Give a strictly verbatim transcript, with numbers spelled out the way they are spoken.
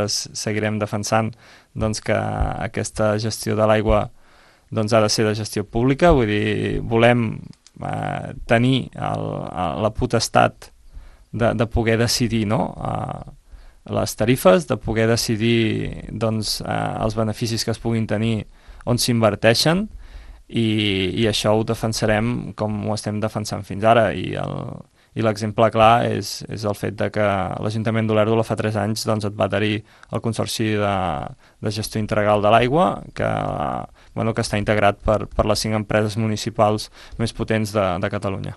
seguirem defensant doncs, que aquesta gestió de l'aigua doncs, ha de ser de gestió pública, vull dir, volem eh, tenir el, la potestat de, de poder decidir, no?, eh, les tarifes, de poder decidir doncs, eh, els beneficis que es puguin tenir on s'inverteixen, i, i això ho defensarem com ho estem defensant fins ara, i el, i l'exemple clar és, és el fet de que l'Ajuntament d'Olèrdola fa tres anys doncs, et va adherir al Consorci de, de Gestió Integral de l'Aigua, que, bueno, que està integrat per, per les cinc empreses municipals més potents de, de Catalunya.